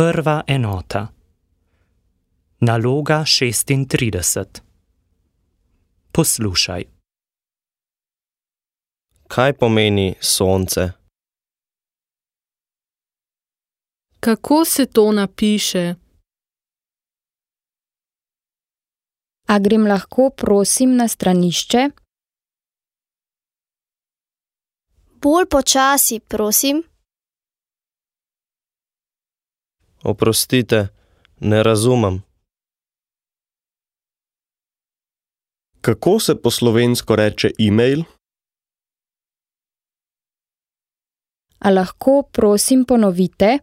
Prva enota. Naloga 36. Poslušaj. Kaj pomeni sonce? Kako se to napiše? A grem lahko prosim na stranišče? Bolj počasi, prosim. Oprostite, ne razumem. Kako se po slovensko reče e-mail? A lahko prosim ponovite?